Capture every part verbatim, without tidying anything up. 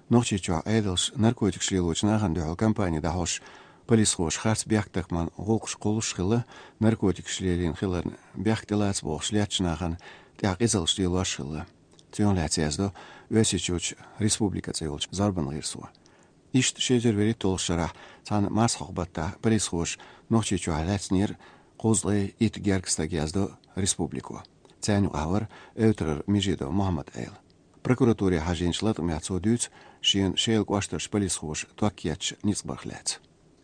Нохчийчохь Ӏедалш наркотикаш лелочу нахана дуьхьал кампани дӀахьош, полисхоша харц бехктакхаман гӀуллакхаш кхуллуш хилла, наркотикаш лелийна хиларна бехк тӀелаца бохуш леттачу нахана тӀехь къизаллаш лелош хилла. Цунах лаьцна яздо Оьрсийчуьрчу «Республика» цӀе йолчу зорбанан гӀирсо. Иштта ши эзар вуьрхӀитталгӀачу шарахь цхьана марсхьокху баттахь полисхоша Нохчийчохь лаьцнера кхузткъе итт гергга стаг, яздо «Республико». Царна юкъахь вара Эвтарара Межидов Мухьаммад-Ӏела. Прокуратуре хьажийначу латкъамехь цо дуьйцу шена Шелан кӀоштарчу полисхоша ток етташ ницкъ барх лаьцна.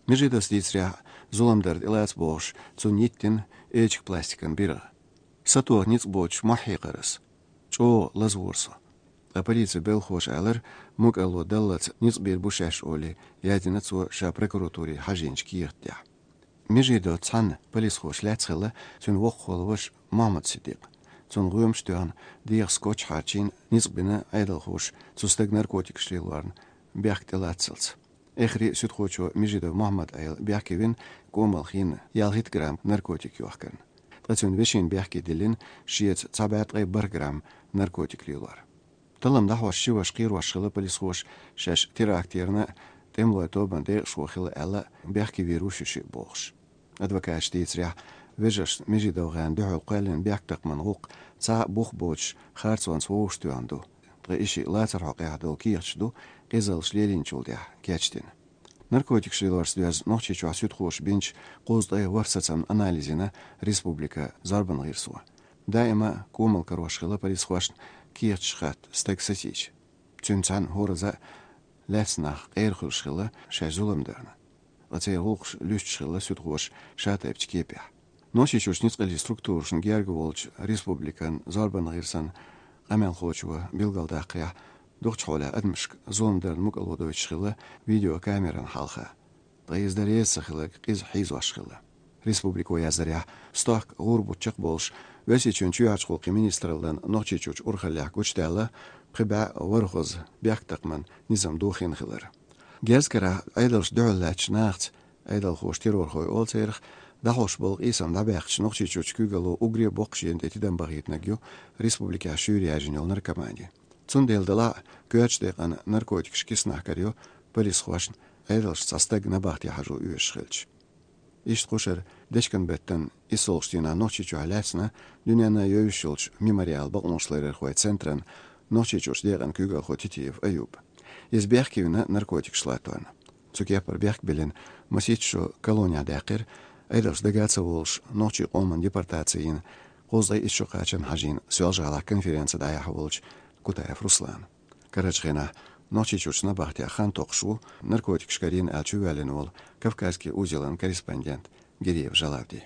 Межидовс дийцарехь, зулам дар тӀелаца бохуш, цунна йиттина эчиг пластикан биргӀа. Сатоха ницкъ боцуш мохь хьекхара ас. ЧӀогӀа лазавора со. Ткъа полицин белхахоша аьллера, мукӀарло даллалц ницкъ бийр бу шаьш олий, яздина цо ша прокуратуре хьажийначу кехат тӀехь. Межидов цхьана полисхоша лаьцна хилла, цуьнан воккхахволу ваша Мохьмад-Сиддикъ. Цунна гӀоьмаш а тоьхна, дегӀах скотч хьарчийна, ницкъ бина Ӏедалхоша цу стага наркотикаш лелорна бехк тӀелацалц. Эххар а суьдхочо Межидов Мухьаммад-Ӏела бехке вина, кӀомал хиъна ялхитта грамм наркотик йохкарна. Ткъа цуьнан вешина бехке диллина шеца цхьа бӀе ткъе бархӀ грамм наркотик лелор. Таллам дӀахьош ши ваша кхерош хилла полисхоша, шаьш терактерна тӀемалойн тобанан декъашхо хилла аьлла, бехке вийр ву ши шиъ бохуш. Адвокаташа дийцарехь, вежаршна Межидов-ГӀенна дуьхьал кхоьллина бехктакхаман гӀуллакх цхьа а бух боцуш харцонца вовшахтоьхна ду, ткъа и шиъ лацархьокъехь долу кехаташ ду, къизаллаш лелийначул тӀаьхьа кечдина. Наркотикаш лелорца доьзна Нохчийчохь суьдхоша бинчу кхузткъе ворхӀ сацамна анализ йина «Республика» зорбанан гӀирсо. Даима а кӀомал карош хилла полисхошна кехаташ хатта стаг сацийча. Цуьнан цхьаьна хӀораза а лаьцна нах къера хуьлуш хилла шаьш зулам дарна. Ткъа церан гӀуллакхаш луьстуш хилла суьдхоша ша-тайпанчу кепехь. Нохчийчуьрчу ницкъаллин структурашна герга волчу «Республикан» зорбанан гӀирсан къамелхочо билгалдаккхарехь, дукхачу хьолехь адамашка зулам дарна мукӀарло дойтуш хилла видеокамеран хьалха. Ткъа иза дан реза ца хилларг къиза хьийзош хилла. «Республико» яздарехь, стохка гӀуран бутт чекхболуш, Оьрсийчоьнан чоьхьарчу гӀуллакхийн министраллан Нохчийчуьрчу урхаллехь гучудаьлла пхи бӀе ворхӀазза бехктакхаман низам дохийна хилар. Герз карахь Ӏедалшна дуьхьал лаьттачу нахаца, Ӏедалхоша террорхой олу церах, дӀахьош болу къийсам дӀабаьккхича, Нохчийчуьрчу куьйгалло уггаре а боккхачу дийнан тӀе тидам бахийтинарг ю «Республикехь» шуьйра яьржина йолу наркомани. Цундела делахь а коьртачу декъана наркотикаш киснахь карайо полисхошна, Ӏедалша цхьа стаг набахте хьажо оьшуш хилча. Иштта кху шарахь дечкен-беттан иссалгӀачу дийнахь Нохчийчохь лаьцна дуьненна йовзуш йолчу «Мемориал» бакъонашларъярхойн центран Нохчийчуьрчу декъан куьйгалхо Титиев Аюб. Иза бехке вина наркотикаш латторна. Цу кепара бехк биллина, масийтта шо колонехь даьккхира, Ӏедалша дага а ца волуш, нохчийн къоман депортаци йина, кхузткъе итт шо кхачарна хьажийна Соьлжа-ГӀалахь конференци дӀаяхьа волчу Кутаев Руслана. Карарчу хенахь Нохчийчуьрчу набахтехь хан токхуш ву наркотикаш карийна аьлла чувоьллина волу «Кавказский узелан» корреспондент Гириев Жалавди.